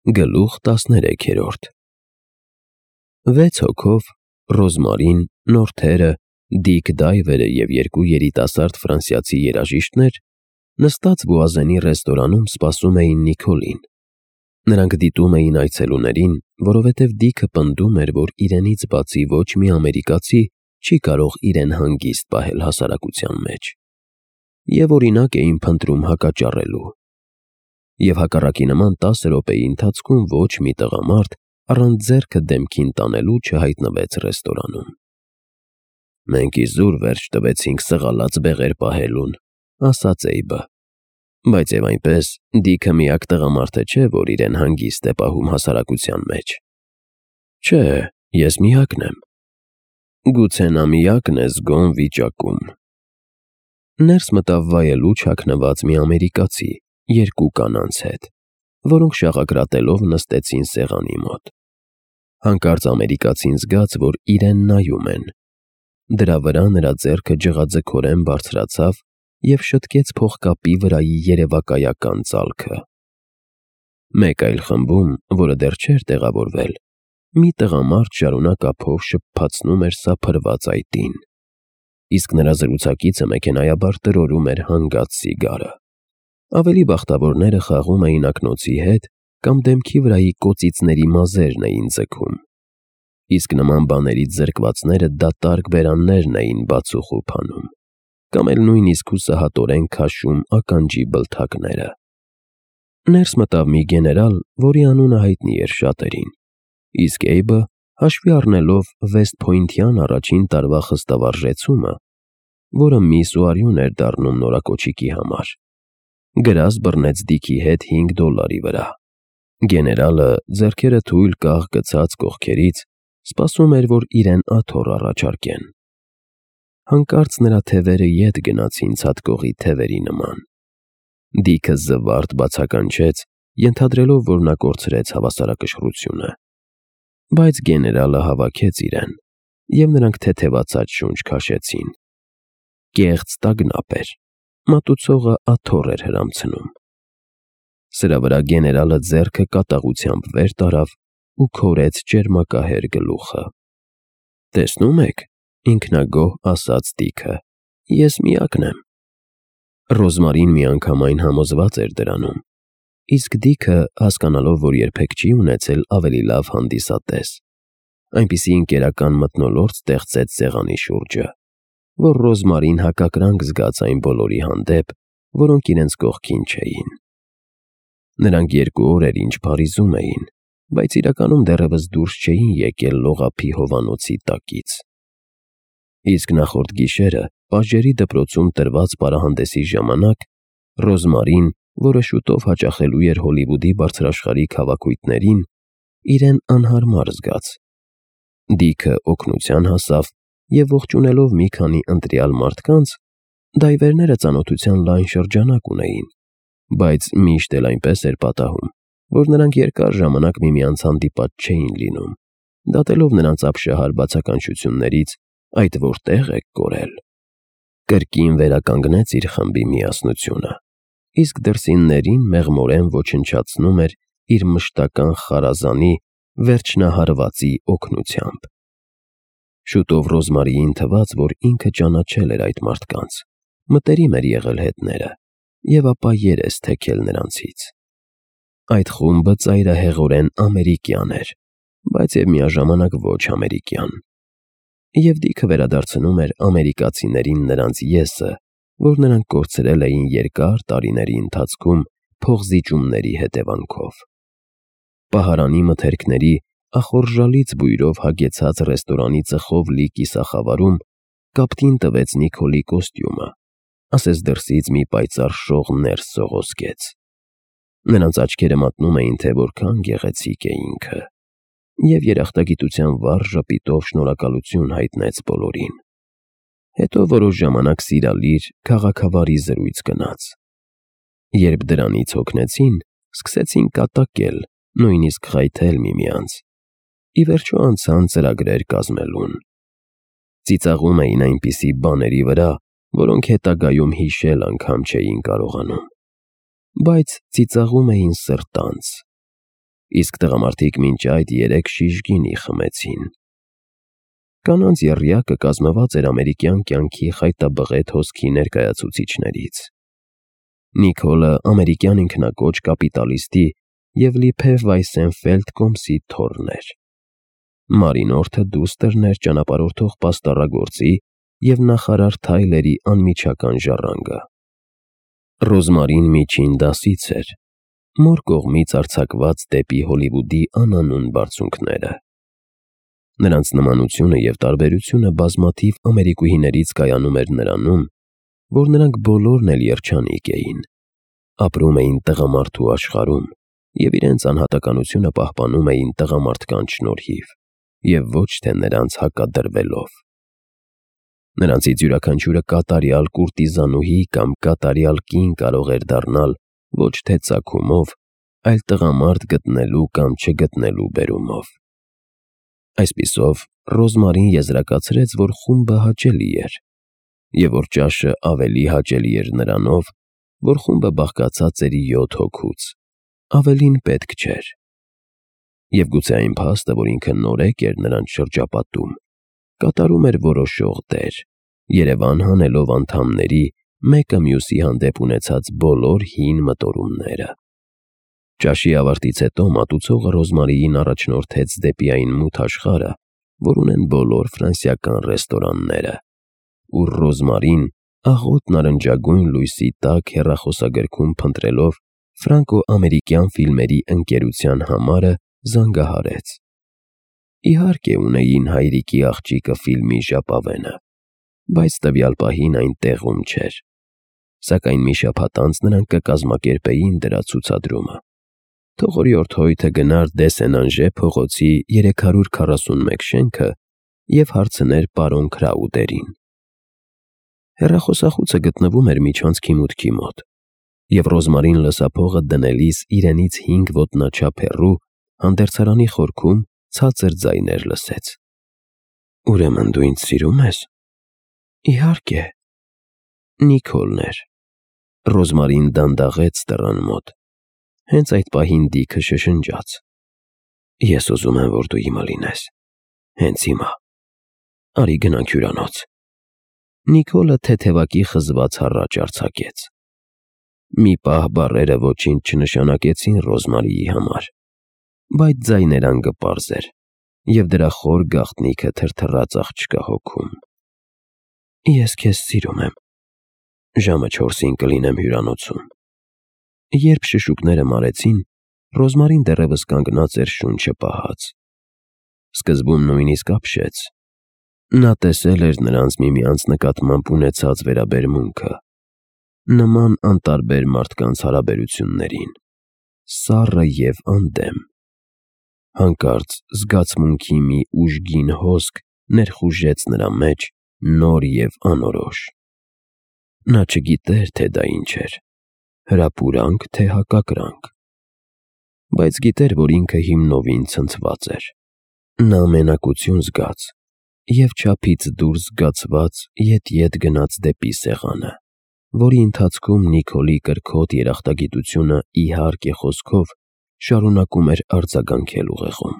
Գլուխ 13 6 հոգով Ռոզմարին, Նորթերը, Դիկ Դայվերը և երկու երիտասարդ ֆրանսիացի երաժիշտներ նստած Բուազենի ռեստորանում սպասում էին Նիկոլին։ Նրանք դիտում էին այցելուներին, որովհետև Դիքը պնդում էր, որ իրենից բացի ոչ մի ամերիկացի չի կարող իրեն հանգիստ պահել հասարակության մեջ, և օրինակ էին փնտրում հակաճառելու։ Եվ հակառակի նման 10 րոպեի ընթացքում ոչ մի տղամարդ առանց ձեռքը դեմքին տանելու չհայտնվեց ռեստորանում։ «Մենք իզուր վերջ տվեցինք սղալած բեղեր պահելուն», ասաց Էյբը, «բայց և այնպես Դիքը միակ տղամարդը չէ, որ իրեն հանգիստ է պահում հասարակության մեջ»։ «Չէ, ես միակն եմ»։ «Գուցե նա միակն է զգոն վիճակում»։ Ներս մտավ վայելուչ հագնված մի ամերիկացի երկու կանանց հետ, որոնք շաղակրատելով նստեցին սեղանի մոտ։ Հանկարծ ամերիկացին զգաց, որ իրեն նայում են։ Դրա վրա նրա ձեռքը ջղաձգորեն բարձրացավ և շտկեց փողկապի վրայի երևակայական ծալքը։ Մեկ այլ խմբում, որը դեռ չէր տեղավորվել, մի տղամարդ շարունակ ափով շփփացնում էր սափրված այտին, իսկ նրա զրուցակիցը մեքենայաբար տրորում էր հանգած սիգարը։ Ավելի բախտավորները խաղում էին ակնոցի հետ կամ դեմքի վրայի կոծիցների մազերն էին ձգում, իսկ նման բաներից զրկվածները դատարկ բերաններն էին բացուխուփ անում, կամ էլ նույնիսկ հուսահատորեն քաշում ականջի բլթակները։ Ներս մտավ մի գեներալ, որի անունը հայտնի էր շատերին, իսկ Էյբը, հաշվի առնելով Վեսթ Փոյնթյան առաջին տարվա խստավարժեցումը, որը միս ու արյուն էր դառնում նորակոչիկի համար, գրազ բռնեց Դիքի հետ $5 վրա։ Գեներալը, ձեռքերը թույլ կաղ գցած կողքերից, սպասում էր, որ իրեն աթոռ առաջարկեն։ Հանկարծ նրա թևերը ետ գնացին ցատկողի թևերի նման։ Դիքը զվարթ բացականչեց, ենթադրելով, որ նա կորցրեց հավասարակշռությունը։ Բայց գեներալը հավաքեց իրեն, և նրանք թեթևացած շունչ քաշեցին։ Կեղծ տագնապ էր, մատուցողը աթոռ էր հրամցնում։ Սրա վրա գեներալը ձեռքը կատաղությամբ վեր տարավ ու քորեց ճերմակահեր գլուխը։ «Տեսնում եք», ինքնագոհ ասաց Դիքը, «ես միակն եմ»։ Ռոզմարին միանգամայն համոզված էր դրանում, իսկ Դիքը, հասկանալով, որ երբեք չի ունեցել ավելի լավ հանդիսատես, այնպիսի ընկերական մթնոլորտ ստեղծեց սեղանի շուրջը, որ Ռոզմարին հակակրանք զգաց այն բոլորի հանդեպ, որոնք իրենց կողքին չէին։ Նրանք 2 օր էր ինչ Փարիզում էին, բայց իրականում դեռևս դուրս չէին եկել լողափի հովանոցի տակից։ Իսկ նախորդ գիշերը պատժերի դպրոցում տրված պարահանդեսի ժամանակ Ռոզմարին, որը շուտով հաճախելու էր Հոլիվուդի բարձրաշխարհիկ հավաքույթներին, իրեն անհարմար զգաց։ Դիքը օգնության հասավ և ողջունելով մի քանի ընտրյալ մարդկանց, դայվերները ծանոթության լայն շրջանակ ունեին, բայց միշտ էլ այնպես էր պատահում, որ նրանք երկար ժամանակ միմյանց հանդիպած չէին լինում, դատելով նրանց ապշահար բացականչություններից «այդ որտե՞ղ եք կորել»։ Կրկին վերականգնեց իր խմբի միասնությունը, իսկ դրսիններին մեղմորեն ոչնչացնում էր իր մշտական խարազանի վերջնահարվածի օգնությամբ։ Շուտով Ռոզմարիին թվաց, որ ինքը ճանաչել էր այդ մարդկանց, մտերիմ էր եղել հետները և ապա երես թեքել նրանցից։ Այդ խումբը ծայրահեղորեն ամերիկյան էր, բայց և միաժամանակ ոչ ամերիկյան։ Եվ Դիքը վերադարձնում էր ամերիկացիներին նրանց «ես»-ը, որ նրանք կորցրել էին երկար տարիների ընթացքում փողզիջումների հետևանքով։ Պահարանի մթերքների ախորժալից բույրով հագեցած ռեստորանի ծխով լի կիսախավարում կապտին տվեց Նիկոլի կոստյումը, ասես դրսից մի պայծառ շող ներս սողոսկեց։ Նրանց աչքերը մատնում էին, թե որքան գեղեցիկ է ինքը, և երախտագիտության վառ ժպիտով շնորհակալություն հայտնեց բոլորին։ Հետո որոշ ժամանակ սիրալիր, քաղաքավարի զրույց գնաց։ Երբ դրանից հոգնեցին, սկսեցին կատակել, նույնիսկ խայթել միմյանց։ Ի վերջո անցան ծրագրեր կազմելուն։ Ծիծաղում էին այնպիսի բաների վրա, որոնք հետագայում հիշել անգամ չէին կարողանում։ Բայց ծիծաղում էին սրտանց։ իսկ տղամարդիկ մինչ այդ 3 շիշ գինի խմեցին։ Կանանց եռյակը կազմված էր ամերիկյան կյանքի խայտաբղետ հոսքի ներկայացուցիչներից։ Նիկոլը ամերիկյան ինքնակոչ կապիտալիստի և Լիփև Վայսենֆելդ կոմսի թոռն էր։ Մարինորթը դուստրն էր ճանապարհորդող պաստառագործի և նախարար Թայլերի անմիջական ժառանգը։ Ռոզմարին միջին դասից էր, մոր կողմից արձակված դեպի Հոլիվուդի անանուն բարձունքները։ Նրանց նմանությունը և տարբերությունը բազմաթիվ ամերիկուհիներից կայանում էր նրանում, որ նրանք բոլորն էլ երջանիկ էին, ապրում էին տղամարդու աշխարհում և իրենց անհատականությունը պահպանում էին տղամարդկանց շնորհիվ և ոչ թե նրանց հակադրվելով։ Նրանցից յուրաքանչյուրը կատարյալ կուրտիզանուհի կամ կատարյալ կին կարող էր դառնալ ոչ թե ծագումով, այլ տղամարդ գտնելու կամ չգտնելու բերումով։ Այսպիսով, Ռոզմարին եզրակացրեց, որ խումբը հաճելի էր, և որ ճաշը ավելի հաճելի էր նրանով, որ խումբը բաղկացած էր 7 հոգուց, ավելին պետք չէր։ Եվ գուցե այն փաստը, որ ինքը նորեկ էր նրանց շրջապատում, կատարում էր որոշող դեր, երևան հանելով անդամների մեկը մյուսի հանդեպ ունեցած բոլոր հին մտորումները։ Ճաշի ավարտից հետո մատուցողը Ռոզմարիին առաջնորդեց դեպի այն մութ աշխարհը, որ ունեն բոլոր ֆրանսիական ռեստորանները, ուր Ռոզմարին աղոտ նարնջագույն լույսի տակ հեռախոսագրքում փնտրելով ֆրանկո-ամերիկյան ֆիլմերի ընկերության համարը զանգահարեց։ Իհարկե ունեին հայրիկի աղջիկը ֆիլմի ժապավենը, բայց տվյալ պահին այն տեղում չէր, սակայն մի շաբաթ անց նրանք կկազմակերպեին դրա ցուցադրումը։ Թող օրիորդ Հոյթը գնար Դեսենանժե փողոցի 341 շենքը և հարցներ պարոն Քրաուդերին։ Հեռախոսախուցը գտնվում էր միջանցքի մուտքի մոտ, և Ռոզմարին լսափողը դնելիս իրենից 5 ոտնաչափ հեռու հանդերձարանի խորքում ցածր ձայներ լսեց։ «Ուրեմն դու ինձ սիրում ես»։ «Իհարկե»։ Նիկոլն էր։ Ռոզմարին դանդաղեց դռան մոտ։ Հենց այդ պահին Դիքը շշնջաց. «Ես ուզում եմ, որ դու իմը լինես, հենց հիմա։ Արի գնանք հյուրանոց»։ Նիկոլը թեթևակի խզված հառաչ արձակեց։ Մի պահ բառերը ոչինչ չնշանակեցին Ռոզմարիի համար, բայց ձայներան գպարզ էր, և դրա խոր գաղտնիքը թրթռաց աղջկա հոգում։ «Ես քեզ սիրում եմ։ Ժամը 4-ին կլինեմ հյուրանոցում»։ Երբ շշուկները մարեցին, Ռոզմարին դեռևս կանգնած էր շունչը պահած։ Սկզբում նույնիսկ ապշեց։ Նա տեսել էր նրանց միմյանց նկատմամբ ունեցած վերաբերմունքը, նման անտարբեր մարդկանց հարաբերություններին, սառը և անդեմ։ Հանկարծ զգացմունքի մի ուժգին հոսք ներխուժեց նրա մեջ նոր և անորոշ։ Նա չգիտեր, թե դա ինչ էր, հրապուրանք, թե հակակրանք, բայց գիտեր, որ ինքը հիմնովին ցնցված էր։ Նա մենակություն զգաց և չափից դուրս զգացված ետ գնաց դեպի սեղանը, որի ընթացքում Նիկոլի կրքոտ երախտագիտությունը իհարկե խոսքով շարունակում էր արձագանքել ուղեղում։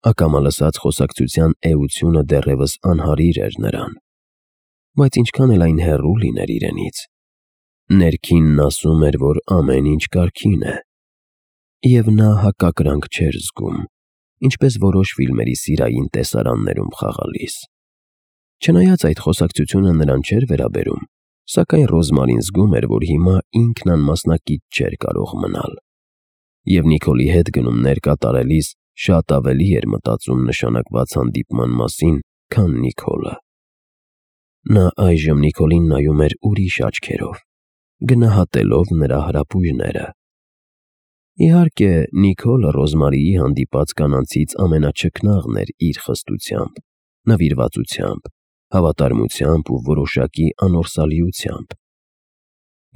Ակամա լսած խոսակցության էությունը դեռևս անհարիր էր նրան, բայց ինչքան էլ այն հեռու լիներ իրենից, ներքինն ասում էր, որ ամեն ինչ կարգին է, և նա հակակրանք չէր զգում, ինչպես որոշ ֆիլմերի սիրային տեսարաններում խաղալիս։ Չնայած այդ խոսակցությունը նրան չէր վերաբերում, սակայն Ռոզմարին զգում էր, որ հիմա ինքն անմասնակից չէր կարող մնալ, և Նիկոլի հետ գնումներ կատարելիս շատ ավելի էր մտածում նշանակված հանդիպման մասին, քան Նիկոլը։ Նա այժմ Նիկոլին նայում էր ուրիշ աչքերով, գնահատելով նրա հրապույրները։ Իհարկե, Նիկոլը Ռոզմարիի հանդիպած կանանցից ամենաչքնաղն էր իր խստությամբ, նվիրվածությամբ, հավատարմությամբ ու որոշակի անորսալիությամբ։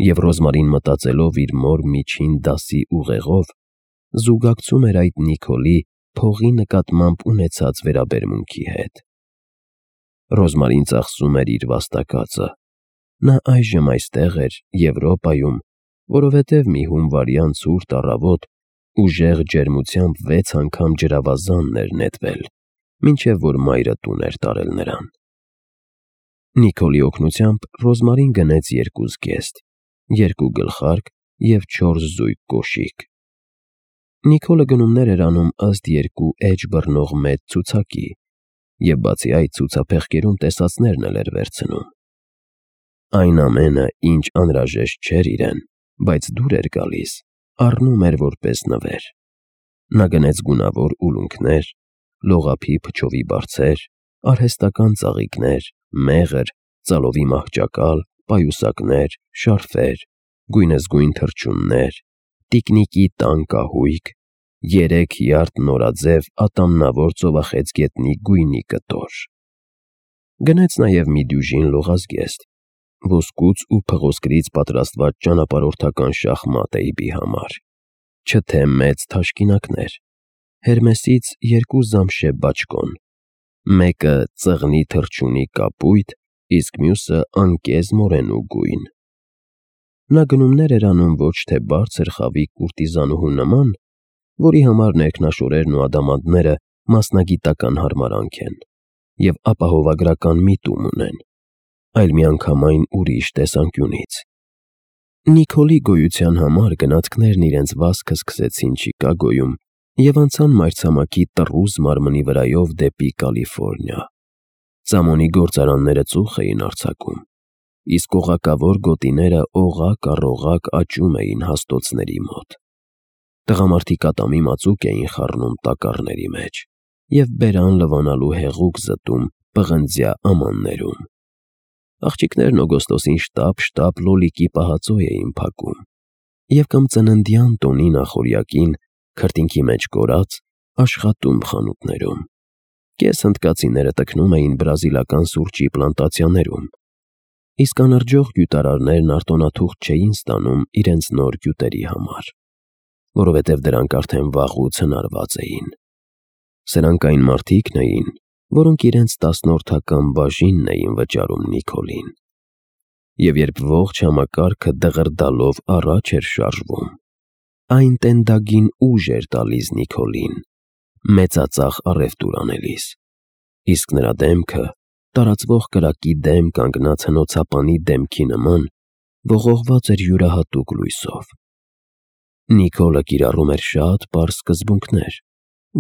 Եվ Ռոզմարին մտածելով իր մոր միջին դասի ուղեղով, զուգակցում էր այդ Նիկոլի փողի նկատմամբ ունեցած վերաբերմունքի հետ։ Ռոզմարին ծախսում էր իր վաստակածը։ Նա այժմ այստեղ էր, Եվրոպայում, որովհետև մի հունվարյան ցուրտ առավոտ Ուժեղ ջերմությամբ 6 անգամ ջրավազանն էր նետվել, մինչև որ մայրը տուն էր տարել նրան։ Նիկոլի օգնությամբ Ռոզմարին գնեց 2 զգեստ, 2 գլխարկ և 4 զույգ կոշիկ։ Նիկոլը գնումներ էր անում ըստ 2 էջ բռնող մեծ ցուցակի, և բացի այդ ցուցափեղկերում տեսածներն էլ էր վերցնում։ Այն ամենը, ինչ անհրաժեշտ չէր իրեն, բայց դուր էր գալիս, առնում էր որպես նվեր։ Նա գնեց գունավոր ուլունքներ, լողափի փչովի բարձեր, արհեստական ծաղիկներ, մեղր, ծալովի մահճակալ, պայուսակներ, շարֆեր, գույնզգույն թռչուններ, տիկնիկի տան կահույք, 3 յարդ նորաձև ատամնավոր ծովախեցգետնի գույնի կտոր։ Գնեց նաև մի դյուժին լողազգեստ, ոսկուց ու փղոսկրից պատրաստված ճանապարհորդական շախմատեյբի համար, չթե մեծ թաշկինակներ, Հերմեսից 2 զամշե բաճկոն, մեկը ծղնի թռչունի կապույտ, իսկ մյուսը անկեզ մորենու գույն։ Նա գնումներ էր անում ոչ թե բարձր խավի կուրտիզանուհու նման, որի համար ներքնաշորերն ու ադամանդները մասնագիտական հարմարանք են և ապահովագրական միտում ունեն, այլ միանգամայն ուրիշ տեսանկյունից։ Նիկոլի գոյության համար գնացքներն իրենց վազքը սկսեցին Չիկագոյում և անցան մայրցամաքի տռուզ մարմնի վրայով դեպի Կալիֆոռնիա։ Ծամոնի գործարանները ծուխ էին արձակում, իսկ օղակավոր գոտիները օղակ առ օղակ աճում էին հաստոցների մոտ։ Տղամարդիկ ատամի մածուկ էին խառնում տակառների մեջ և բերան լվանալու հեղուկ զտում պղնձյա ամաններում։ Աղջիկներն օգոստոսին շտապ լոլիկի պահածոյ էին փակում և կամ ծննդյան տոնի նախօրյակին, քրտինքի մեջ կորած, աշխատում խանութներում։ Կեսհնդկացիները տքնում էին բրազիլական սուրճի պլանտացիաներում, իսկ անրջող գյուտարարներն արտոնաթուղթ չէին ստանում իրենց նոր գյուտերի համար, որովհետև դրանք արդեն վաղուց հնարված էին։ Սրանք այն մարդիկն էին, որոնք իրենց 10-որդական բաժինն էին վճարում Նիկոլին։ Եվ երբ ողջ համակարգը դղրդալով առաջ էր շարժվում, այն տենդագին ուժ էր տալիս Նիկոլին, մեծածախ առևտուր անելիս, իսկ նրա դեմքը տարածվող կրակի դեմ կանգնած հնոցապանի դեմքի նման ողողված էր յուրահատուկ լույսով։ Նիկոլը կիրառում էր շատ պարզ սկզբունքներ,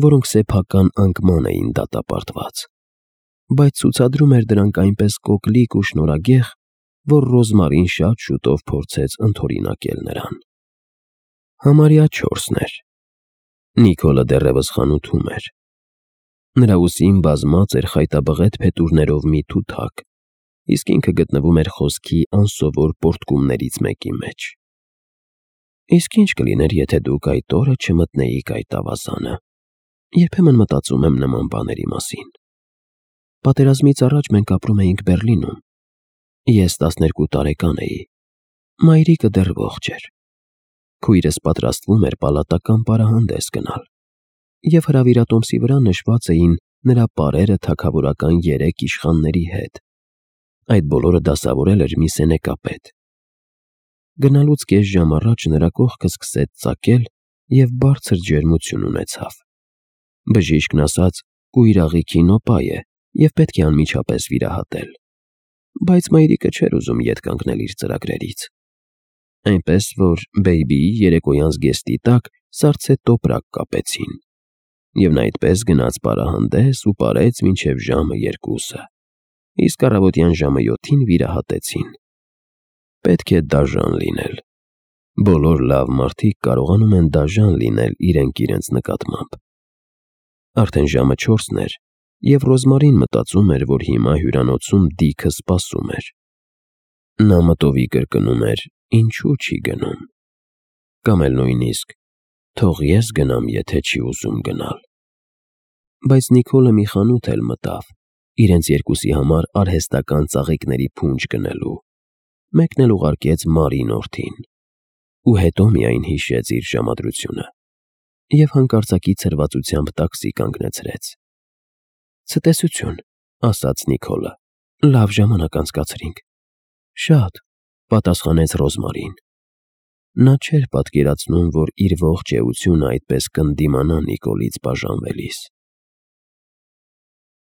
որոնք սեփական անկման էին դատապարտված, բայց ցուցադրում էր դրանք այնպես կոկլիկ ու շնորհագեղ, որ Ռոզմարին շատ շուտով փորձեց ընդօրինակել նրան։ Համարյա 4-ն էր։ Նիկոլը դեռևս խանութում էր։ Նրա ուսին բազմած էր խայտաբղետ փետուրներով մի թութակ, իսկ ինքը գտնվում էր խոսքի անսովոր պոռթկումներից մեկի մեջ։ Իսկ ինչ կլիներ, եթե դուք այդ օրը չմտնեիք այդ ավազանը։ Երբեմն մտածում եմ նման բաների մասին։ Պատերազմից առաջ մենք ապրում էինք Բեռլինում։ Ես 12 տարեկան էի։ Մայրիկը դեռ ողջ էր։ Քույրս պատրաստվում էր պալատական պարահանդես գնալ, և հրավիրատոմսի վրա նշված էին նրա պարերը թագավորական 3 իշխանների հետ։ Այդ բոլորը դասավորել էր մի սենեկապետ։ Գնալուց կես ժամ առաջ նրա կողքը սկսեց ծակել և բարձր ջերմություն ունեցավ։ Բժիշկն ասաց՝ կույր աղիքի նոպա է և պետք է անմիջապես վիրահատել, բայց մայրիկը չէր ուզում ետ կանգնել իր ծրագրերից։ Այնպես որ բեյբիի երեկոյան զգեստի տակ սառցե տոպրակ կապեցին, և նա այդպես գնաց պարահանդես ու պարեց մինչև ժամը 2, իսկ առավոտյան ժամը 7-ին վիրահատեցին։ Պետք է դաժան լինել։ Բոլոր լավ մարդիկ կարողանում են դաժան լինել իրենք նկատմամբ։ Արդեն ժամը 4-ն էր, և Ռոզմարին մտածում էր, որ հիմա հյուրանոցում Դիքը սպասում էր։ Նա մտովի կրկնում էր. ինչու չի գնում։ Կամ էլ նույնիսկ թող ես գնամ, եթե չի ուզում գնալ։ Բայց Նիկոլը մի խանութ էլ մտավ, իրենց երկուսի համար արհեստական ծաղիկների փունջ գնելու, մեկն էլ ուղարկեց Մարին օրթին, ու հետո միայն հիշեց իր ժամադրությունը և հանկարծակի ցրվածությամբ տաքսի կանգնեցրեց։ Ցտեսություն, ասաց Նիկոլը, լավ ժամանակ անցկացրինք։ Շատ, պատասխանեց Ռոզմարին։ Նա չէր պատկերացնում, որ իր ողջ էությունը այդպես կընդդիմանա Նիկոլից բաժանվելիս։